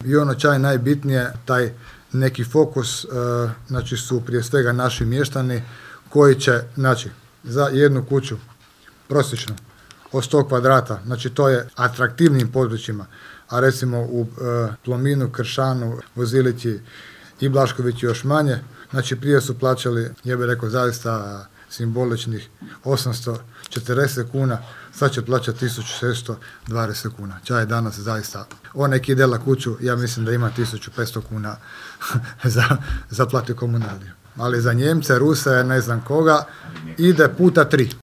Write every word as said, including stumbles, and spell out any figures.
I ono čaj najbitnije, taj neki fokus, uh, znači su prije svega naši mještani koji će, znači, za jednu kuću prosječno od sto kvadrata, znači to je atraktivnim područjima, a recimo u uh, Plominu, Kršanu, Vozilići i Blaškovići još manje, znači prije su plaćali, ja bih rekao, zaista simboličnih osamsto četrdeset kuna, sad će plaćati tisuću šesto dvadeset kuna. Čaj je danas zaista, on neki ide na kuću, ja mislim da ima tisuću petsto kuna za, za plati komunaliju. Ali za Njemce, Ruse, ne znam koga, ide puta tri.